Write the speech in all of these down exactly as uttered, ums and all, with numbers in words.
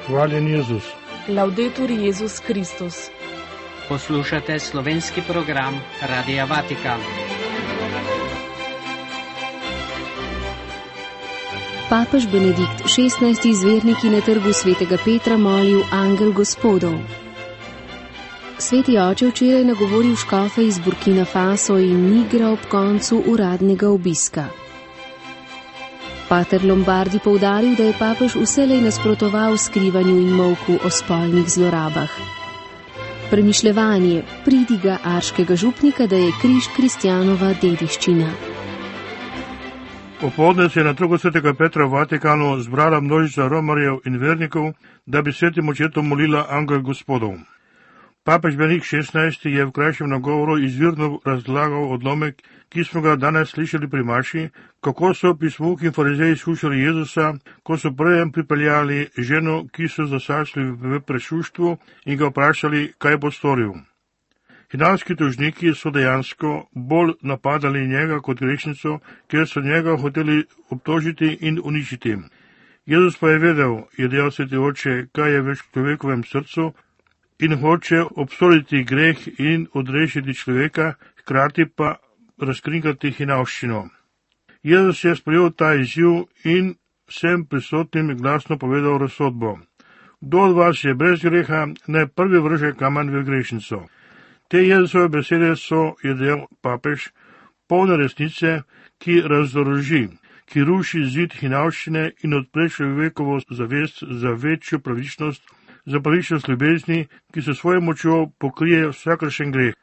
Hvaljen Jezus. Laudetur Jezus Kristus. Poslušate slovenski program Radia Vatikan. Papež Benedikt šestnajsti z verniki na trgu svetega Petra molil Angel Gospodov. Sveti oče včeraj nagovoril škofe iz Burkina Faso in Nigra ob koncu uradnega obiska. Pater Lombardi poudaril, da je papež vselej nasprotoval skrivanju in molku o spolnih zlorabah. Premišljevanje pridiga arškega župnika, da je križ kristjanova dediščina. Popoldne se je na trgu svetega Petra v Vatikanu zbrala množica romarjev in vernikov, da bi svetim očetom molila Angel Gospodov. Papež Benedikt šestnajsti je v krajšem nagovoru izvirno razlagal odlomek, ki smo ga danes slišali pri maši, kako so pismuki in farizeji skušali Jezusa, ko so prejem pripeljali ženo, ki so zasačili v prešuštvu in ga vprašali, kaj bo storil. Hinavski tožniki so dejansko bolj napadali njega kot grešnico, ker so njega hoteli obtožiti in uničiti. Jezus pa je vedel, je dejal sveti oče, kaj je v človekovem srcu, in hoče obsoditi greh in odrešiti človeka, hkrati pa razkrinkati hinavščino. Jezus je sprejel ta izziv in vsem prisotnim glasno povedal razsodbo. Kdo od vas je brez greha, naj prvi vrže kamen v grešnico. Te Jezusove besede so, je dejal papež, polne resnice, ki razdoroži, ki ruši zid hinavščine in odpre človekovo zavest za večjo pravičnost, za pravičnost ljubezni, ki se svojo močjo pokrije vsakršen greh.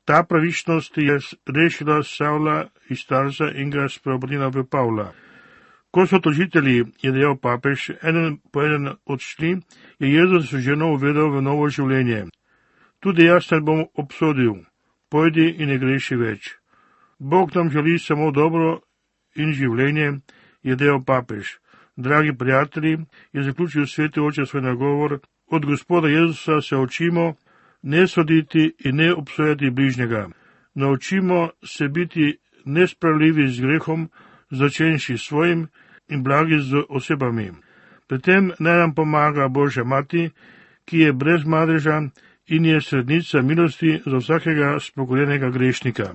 Ta pravičnost je rešila Savla iz Tarza in ga spreobrnila v Pavla. Ko so tožitelji, je dejal papež, eden po eden odšli, je Jezus ženo uvedel v novo življenje. Tudi jaz te bom obsodil, pojdi in ne greši več. Bog nam želi samo dobro in življenje, je dejal papež. Dragi prijatelji, je zaključil sveti oče svoj nagovor, od Gospoda Jezusa se učimo ne soditi in ne obsojati bližnjega. Naučimo se biti nespravljivi z grehom, začenši svojim in blagi z osebami. Pri tem naj nam pomaga Božja mati, ki je brez madeža in je srednica milosti za vsakega spokorjenega grešnika.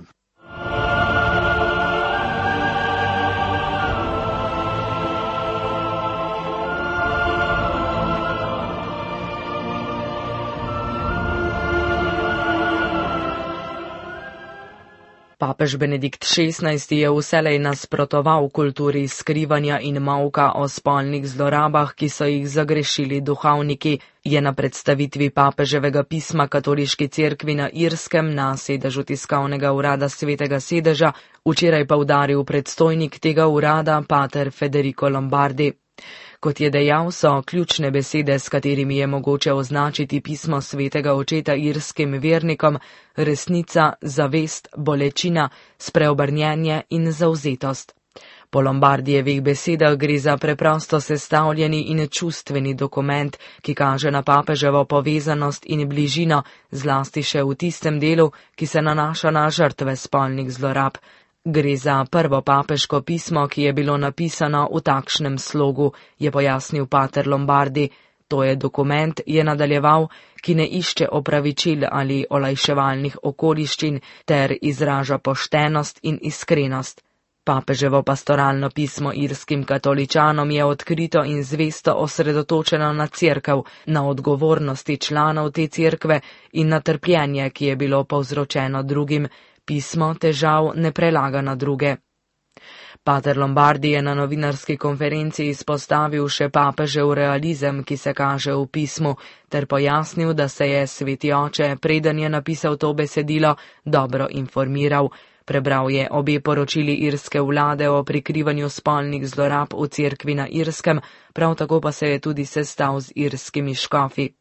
Papež Benedikt šestnajsti je vselej nasprotoval kulturi skrivanja in molka o spolnih zlorabah, ki so jih zagrešili duhovniki, je na predstavitvi papeževega pisma Katoliški cerkvi na Irskem na sedežu tiskovnega urada Svetega sedeža včeraj poudaril predstojnik tega urada, pater Federico Lombardi. Kot je dejal, so ključne besede, s katerimi je mogoče označiti pismo svetega očeta irskim vernikom, resnica, zavest, bolečina, spreobrnjenje in zavzetost. Po Lombardijevih besedah gre za preprosto sestavljeni in čustveni dokument, ki kaže na papeževo povezanost in bližino, zlasti še v tistem delu, ki se nanaša na žrtve spolnih zlorab. Gre za prvo papeško pismo, ki je bilo napisano v takšnem slogu, je pojasnil pater Lombardi. To je dokument, je nadaljeval, ki ne išče opravičil ali olajševalnih okoliščin ter izraža poštenost in iskrenost. Papeževo pastoralno pismo irskim katoličanom je odkrito in zvesto osredotočeno na cerkev, na odgovornosti članov te cerkve in na trpljenje, ki je bilo povzročeno drugim. Pismo težav ne prelaga na druge. Pater Lombardi je na novinarski konferenci izpostavil še papežev realizem, ki se kaže v pismu, ter pojasnil, da se je sveti oče, preden je napisal to besedilo, dobro informiral. Prebral je obe poročili irske vlade o prikrivanju spolnih zlorab v cerkvi na Irskem, prav tako pa se je tudi sestal z irskimi škofi.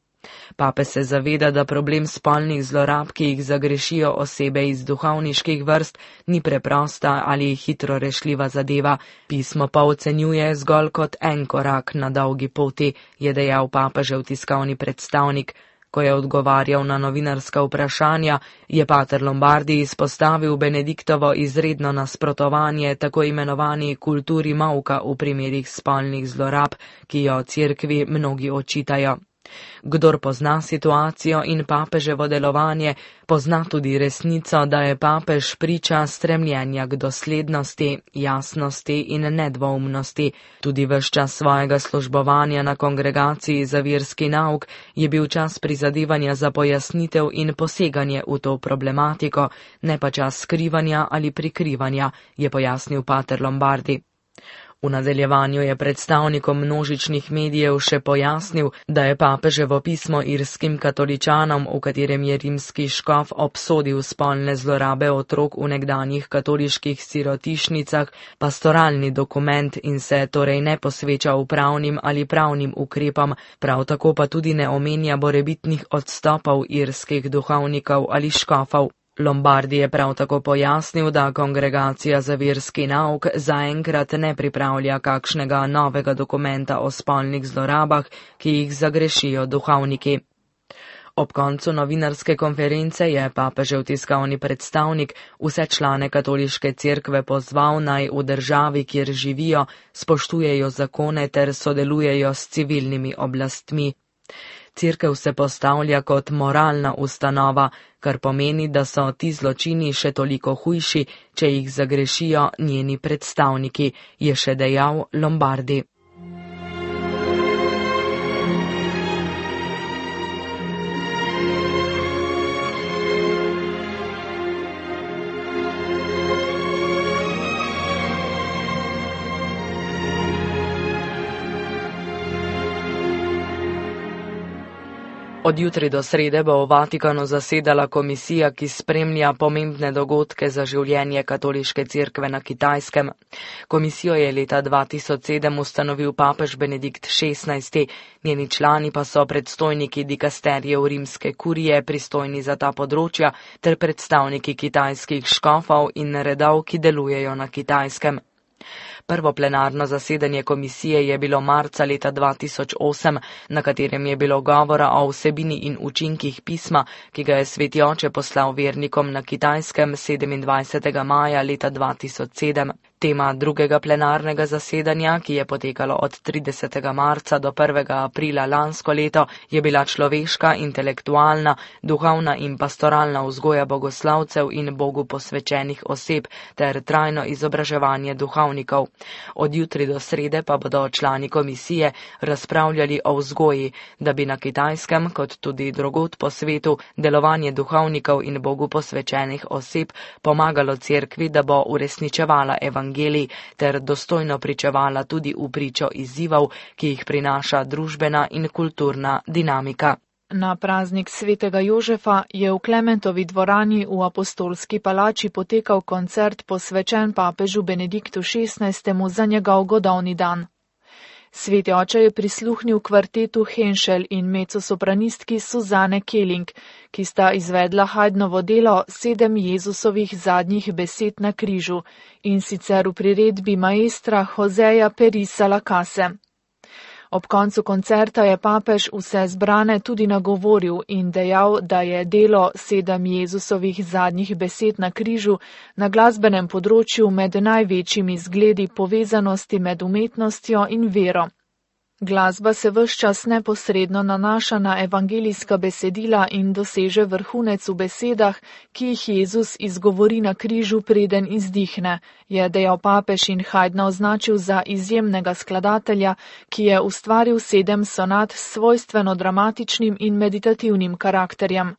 Pape se zaveda, da problem spolnih zlorab, ki jih zagrešijo osebe iz duhovniških vrst, ni preprosta ali hitro rešljiva zadeva, pismo pa ocenjuje zgolj kot en korak na dolgi poti, je dejal papežev tiskovni predstavnik. Ko je odgovarjal na novinarska vprašanja, je pater Lombardi izpostavil Benediktovo izredno nasprotovanje tako imenovani kulturi mavka v primerih spolnih zlorab, ki jo cerkvi mnogi očitajo. Kdor pozna situacijo in papeževo delovanje, pozna tudi resnico, da je papež priča stremljenja k doslednosti, jasnosti in nedvoumnosti. Tudi ves čas svojega službovanja na kongregaciji za verski nauk je bil čas prizadevanja za pojasnitev in poseganje v to problematiko, ne pa čas skrivanja ali prikrivanja, je pojasnil pater Lombardi. V nadaljevanju je predstavnikom množičnih medijev še pojasnil, da je papeževo pismo irskim katoličanom, v katerem je rimski škof obsodil spolne zlorabe otrok v nekdanjih katoliških sirotišnicah, pastoralni dokument in se torej ne posveča upravnim ali pravnim ukrepom, prav tako pa tudi ne omenja morebitnih odstopov irskih duhovnikov ali škofov. Lombardi je prav tako pojasnil, da kongregacija za verski nauk zaenkrat ne pripravlja kakšnega novega dokumenta o spolnih zlorabah, ki jih zagrešijo duhovniki. Ob koncu novinarske konference je papežev tiskovni predstavnik vse člane katoliške cerkve pozval, naj v državi, kjer živijo, spoštujejo zakone ter sodelujejo s civilnimi oblastmi. Cerkev se postavlja kot moralna ustanova, kar pomeni, da so ti zločini še toliko hujši, če jih zagrešijo njeni predstavniki, je še dejal Lombardi. Od jutri do srede bo v Vatikanu zasedala komisija, ki spremlja pomembne dogodke za življenje katoliške cerkve na Kitajskem. Komisijo je leta dva tisoč sedem ustanovil papež Benedikt šestnajsti, njeni člani pa so predstojniki dikasterjev rimske kurije, pristojni za ta področja, ter predstavniki kitajskih škofov in redov, ki delujejo na Kitajskem. Prvo plenarno zasedanje komisije je bilo marca leta dva tisoč osem, na katerem je bilo govora o vsebini in učinkih pisma, ki ga je Sveti oče poslal vernikom na Kitajskem sedemindvajsetega maja leta dva tisoč sedem. Tema drugega plenarnega zasedanja, ki je potekalo od tridesetega marca do prvega aprila lansko leto, je bila človeška, intelektualna, duhovna in pastoralna vzgoja bogoslavcev in Bogu posvečenih oseb ter trajno izobraževanje duhovnikov. Od jutri do srede pa bodo člani komisije razpravljali o vzgoji, da bi na Kitajskem, kot tudi drugod po svetu, delovanje duhovnikov in Bogu posvečenih oseb pomagalo cerkvi, da bo uresničevala evangelij ter dostojno pričevala tudi v pričo izzivov, ki jih prinaša družbena in kulturna dinamika. Na praznik svetega Jožefa je v Klementovi dvorani v Apostolski palači potekal koncert posvečen papežu Benediktu šestnajstemu za njegov godovni dan. Sveti oče je prisluhnil kvartetu Henschel in mezzosopranistki Suzane Keling, ki sta izvedla Haydnovo delo Sedem Jezusovih zadnjih besed na križu, in sicer v priredbi maestra Joseja Perisa Lacase. Ob koncu koncerta je papež vse zbrane tudi nagovoril in dejal, da je delo Sedem Jezusovih zadnjih besed na križu na glasbenem področju med največjimi zgledi povezanosti med umetnostjo in vero. Glasba se ves čas neposredno nanaša na evangelijska besedila in doseže vrhunec v besedah, ki jih Jezus izgovori na križu, preden izdihne, je dejal papež in Haydna označil za izjemnega skladatelja, ki je ustvaril sedem sonat s svojstveno dramatičnim in meditativnim karakterjem.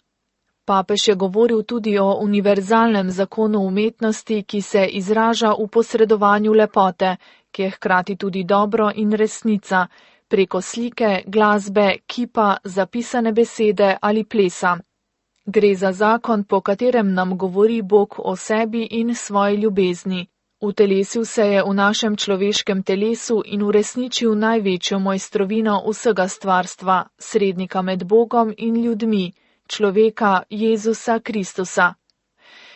Papež je govoril tudi o univerzalnem zakonu umetnosti, ki se izraža v posredovanju lepote, ki je hkrati tudi dobro in resnica, preko slike, glasbe, kipa, zapisane besede ali plesa. Gre za zakon, po katerem nam govori Bog o sebi in svoji ljubezni. Utelesil se je v našem človeškem telesu in uresničil največjo mojstrovino vsega stvarstva, srednika med Bogom in ljudmi, človeka Jezusa Kristusa.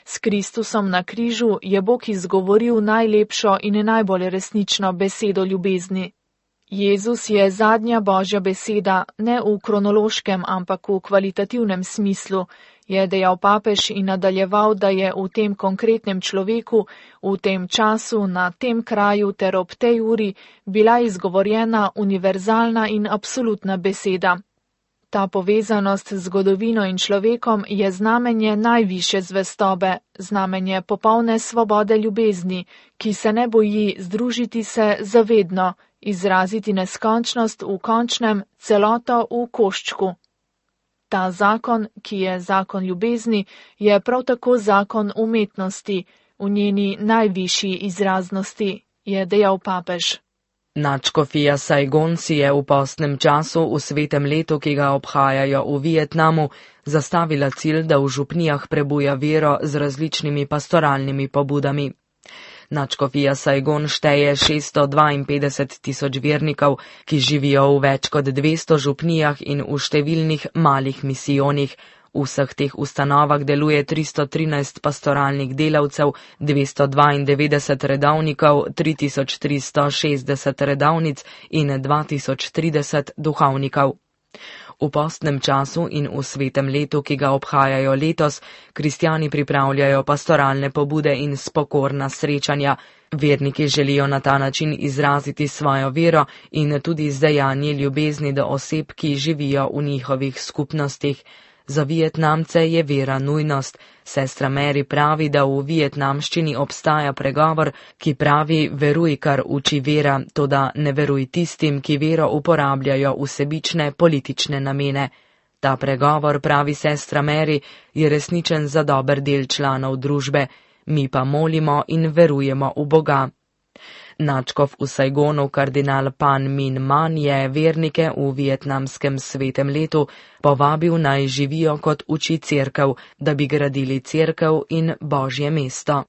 S Kristusom na križu je Bog izgovoril najlepšo in najbolj resnično besedo ljubezni. Jezus je zadnja Božja beseda, ne v kronološkem, ampak v kvalitativnem smislu, je dejal papež in nadaljeval, da je v tem konkretnem človeku, v tem času, na tem kraju ter ob tej uri bila izgovorjena univerzalna in absolutna beseda. Ta povezanost z zgodovino in človekom je znamenje najvišje zvestobe, znamenje popolne svobode ljubezni, ki se ne boji združiti se zavedno, izraziti neskončnost v končnem, celoto v koščku. Ta zakon, ki je zakon ljubezni, je prav tako zakon umetnosti, v njeni najvišji izraznosti, je dejal papež. Nadškofija Saigon si je v postnem času v svetem letu, ki ga obhajajo v Vietnamu, zastavila cilj, da v župnijah prebuja vero z različnimi pastoralnimi pobudami. Nadškofija Saigon šteje šeststo dvainpetdeset tisoč vernikov, ki živijo v več kot dvesto župnijah in v številnih malih misijonih. V vseh teh ustanovah deluje tristo trinajst pastoralnih delavcev, dvesto dvaindevetdeset redovnikov, tri tisoč tristo šestdeset redovnic in dva tisoč trideset duhovnikov. V postnem času in v svetem letu, ki ga obhajajo letos, kristjani pripravljajo pastoralne pobude in spokorna srečanja. Verniki želijo na ta način izraziti svojo vero in tudi izdajanje ljubezni do oseb, ki živijo v njihovih skupnostih. Za Vietnamce je vera nujnost. Sestra Mary pravi, da v vietnamščini obstaja pregovor, ki pravi: veruj, kar uči vera, toda ne veruj tistim, ki vero uporabljajo v sebične politične namene. Ta pregovor, pravi sestra Mary, je resničen za dober del članov družbe. Mi pa molimo in verujemo v Boga. Nadškof v Saigonu, kardinal Pan Min Man, je vernike v vietnamskem svetem letu povabil naj živijo kot uči cerkev, da bi gradili cerkev in Božje mesto.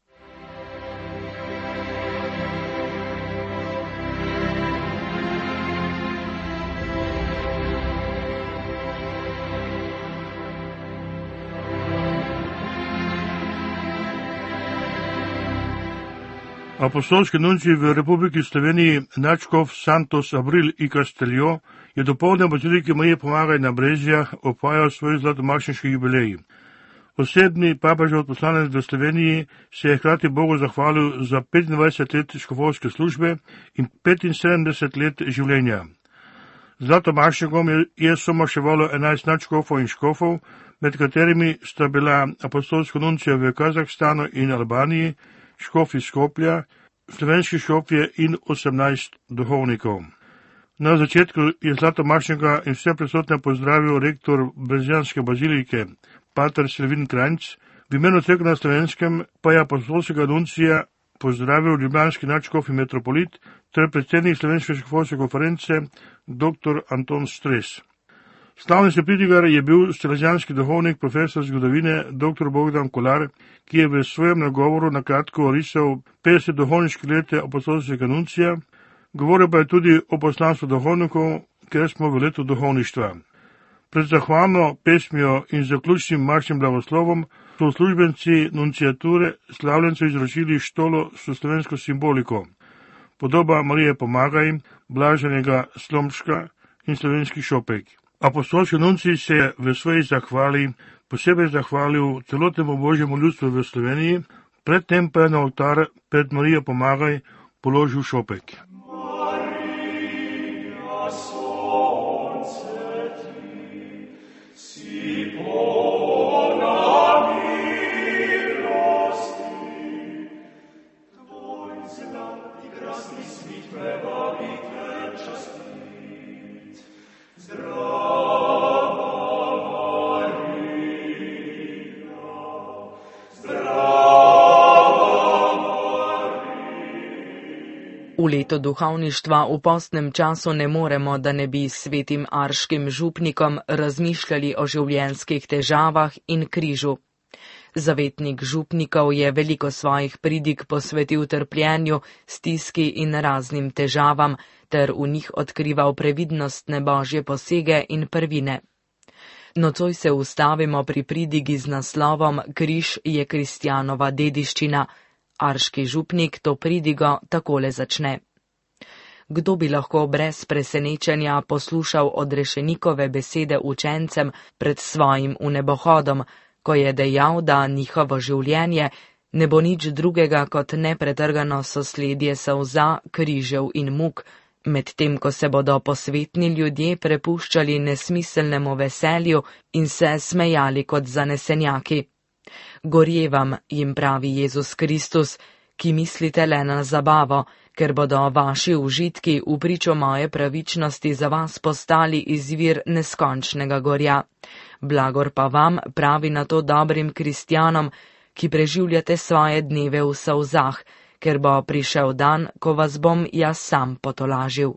Apostolski nuncij v Republiki Sloveniji nadškof Santos Abril i Casteljo je dopoldne v baziliki Marije Pomagaj na Brezjah opajal svoj zlatomašniški jubilej. Osebni papežev odposlanec v Sloveniji se je hkrati Bogu zahvalil za petindvajset let škofovske službe in petinsedemdeset let življenja. Zlatomašnikom je, je somaševalo enajst nadškofov in škofov, med katerimi sta bila apostolska nuncija v Kazahstanu in Albaniji, škof iz Skopja, slovenski škofje in osemnajst duhovnikov. Na začetku je zlatomašnika in vse prisotne pozdravil rektor Brezjanske bazilike, pater Selvin Kranjc, v imenu cerkve na Slovenskem pa je apostolskega nuncija pozdravil ljubljanski nadškof in metropolit ter predsednik Slovenske škofovske konference dr. Anton Stres. Slavni sepridigar je bil salezjanski duhovnik, profesor zgodovine dr. Bogdan Kolar, ki je v svojem nagovoru na kratko orisal petdeset duhovniških let apostolskega nuncija, govoril pa je tudi o poslanstvu duhovnikov, ker smo v letu duhovništva. Pred zahvalno pesmijo in zaključnim maršnim blagoslovom so uslužbenci nunciature slavljencu izročili štolo s slovensko simboliko, podoba Marije Pomagaj, blaženega Slomška in slovenski šopek. Apostolski nuncij se je v svoji zahvali posebej zahvalil celotnemu božjemu ljudstvu v Sloveniji, predtem pa je na oltar pred Marijo Pomagaj položil šopek. V letu duhovništva v postnem času ne moremo, da ne bi s svetim arškim župnikom razmišljali o življenjskih težavah in križu. Zavetnik župnikov je veliko svojih pridig posvetil trpljenju, stiski in raznim težavam, ter v njih odkrival previdnostne božje posege in prvine. Nocoj se ustavimo pri pridigi z naslovom Križ je kristjanova dediščina. Arški župnik to pridigo takole začne. Kdo bi lahko brez presenečenja poslušal odrešenikove besede učencem pred svojim vnebohodom, ko je dejal, da njihovo življenje ne bo nič drugega kot nepretrgano sosledje solza, križev in muk, medtem ko se bodo posvetni ljudje prepuščali nesmiselnemu veselju in se smejali kot zanesenjaki. Gorje vam, jim pravi Jezus Kristus, ki mislite le na zabavo, ker bodo vaši užitki v pričo moje pravičnosti za vas postali izvir neskončnega gorja. Blagor pa vam, pravi na to dobrim kristjanom, ki preživljate svoje dneve v solzah, ker bo prišel dan, ko vas bom jaz sam potolažil.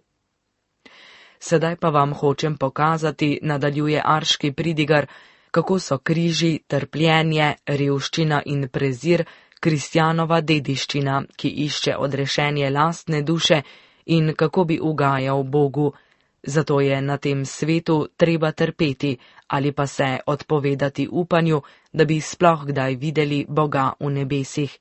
Sedaj pa vam hočem pokazati, nadaljuje arški pridigar, kako so križi, trpljenje, revščina in prezir kristjanova dediščina, ki išče odrešenje lastne duše in kako bi ugajal Bogu. Zato je na tem svetu treba trpeti ali pa se odpovedati upanju, da bi sploh kdaj videli Boga v nebesih.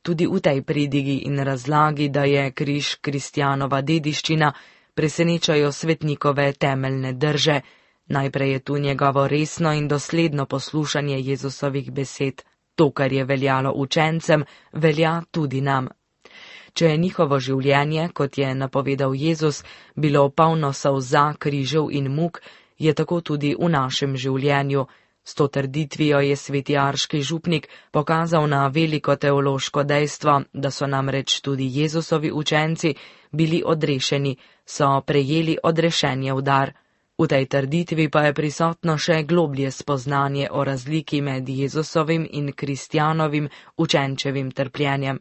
Tudi v tej pridigi in razlagi, da je križ kristjanova dediščina, presenečajo svetnikove temeljne drže. Najprej je tu njegovo resno in dosledno poslušanje Jezusovih besed. To, kar je veljalo učencem, velja tudi nam. Če je njihovo življenje, kot je napovedal Jezus, bilo polno solza, križev in muk, je tako tudi v našem življenju. S to trditvijo je sveti arški župnik pokazal na veliko teološko dejstvo, da so namreč tudi Jezusovi učenci bili odrešeni, so prejeli odrešenje v dar. V tej trditvi pa je prisotno še globlje spoznanje o razliki med Jezusovim in kristjanovim učenčevim trpljenjem.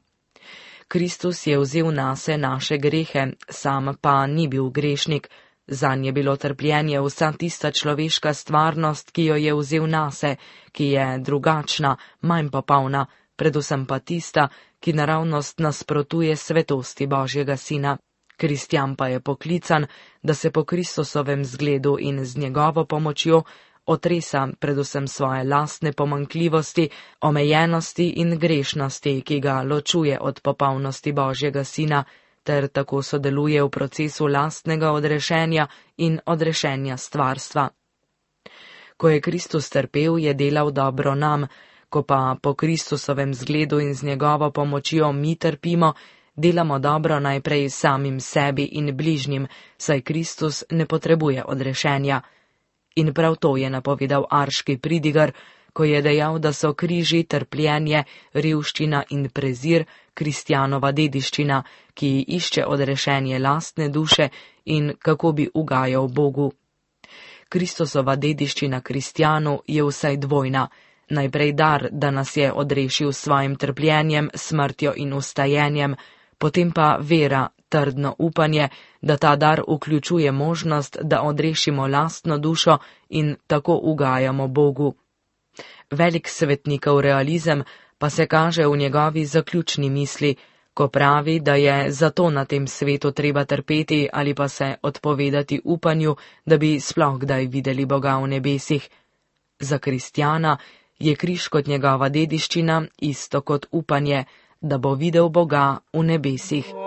Kristus je vzel nase naše grehe, sam pa ni bil grešnik. Zanj je bilo trpljenje vsa tista človeška stvarnost, ki jo je vzel nase, ki je drugačna, manj popolna, predvsem pa tista, ki naravnost nasprotuje svetosti Božjega Sina. Kristjan pa je poklican, da se po Kristusovem zgledu in z njegovo pomočjo otresa predvsem svoje lastne pomanjkljivosti, omejenosti in grešnosti, ki ga ločuje od popolnosti Božjega Sina, ter tako sodeluje v procesu lastnega odrešenja in odrešenja stvarstva. Ko je Kristus trpel, je delal dobro nam, ko pa po Kristusovem zgledu in z njegovo pomočjo mi trpimo, delamo dobro najprej samim sebi in bližnjim, saj Kristus ne potrebuje odrešenja. In prav to je napovedal arški pridigar, ko je dejal, da so križi, trpljenje, revščina in prezir kristjanova dediščina, ki išče odrešenje lastne duše in kako bi ugajal Bogu. Kristusova dediščina kristjanu je vsaj dvojna. Najprej dar, da nas je odrešil s svojim trpljenjem, smrtjo in ustajenjem, potem pa vera, trdno upanje, da ta dar vključuje možnost, da odrešimo lastno dušo in tako ugajamo Bogu. Velik svetnikov realizem pa se kaže v njegovi zaključni misli, ko pravi, da je zato na tem svetu treba trpeti ali pa se odpovedati upanju, da bi sploh kdaj videli Boga v nebesih. Za kristjana je križ kot njegova dediščina isto kot upanje, da bo videl Boga v nebesih.